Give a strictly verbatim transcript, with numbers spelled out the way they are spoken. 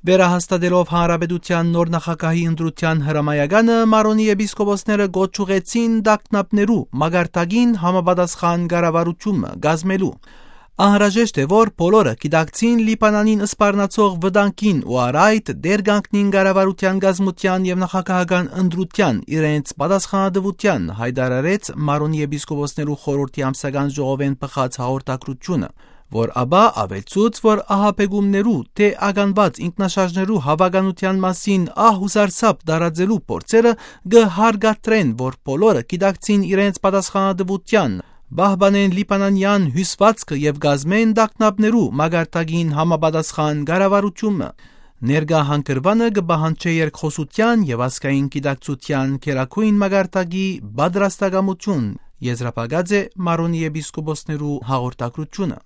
Վերահաստատելով հանրապետութեան նոր նախագահի ընտրութեան հրամայականը, Մարոնի եպիսկոպոսները կոչ ուղղեցին տագնապներու մակարդակին համապատասխան կառավարութիւն մը կազմելու։ Անհրաժեշտ է, որ բոլորը գիտակցին Լիբանանին սպառնացող վտանգին ու առ այդ դեր կանգնին կառավարութեան կազմութեան եւ նախագահական ընտրութեան իրենց պատասխանատուութեան, յայտարարեց Մարոնի եպիսկոպոսներու խորհրդի ամսական ժողովէն բխած հաղորդագրութիւնը, որ ապա աւելցուց, որ ահաբեկումներու թէ ականուած ինքնաշարժներու հաւականութեան մասին ահ ու սարսափ տարածելու փորձերը կը հարկադրեն, որ բոլորը գիտակցին իրենց պատասխանատուութեան, պահպանեն լիբանանեան հիւսուածքը եւ կազմեն տագնապներու մակարդակին համապատասխան կառավարութիւնը։ Ներկայ հանգրուանը կը պահանջէ երկխօսութեան եւ ազգային գիտակցութեան գերագոյն մակարդակի պատրաստակամութիւն, եզրափակած է Մարոնի եպիսկոպոսներու հաղորդագրութիւնը։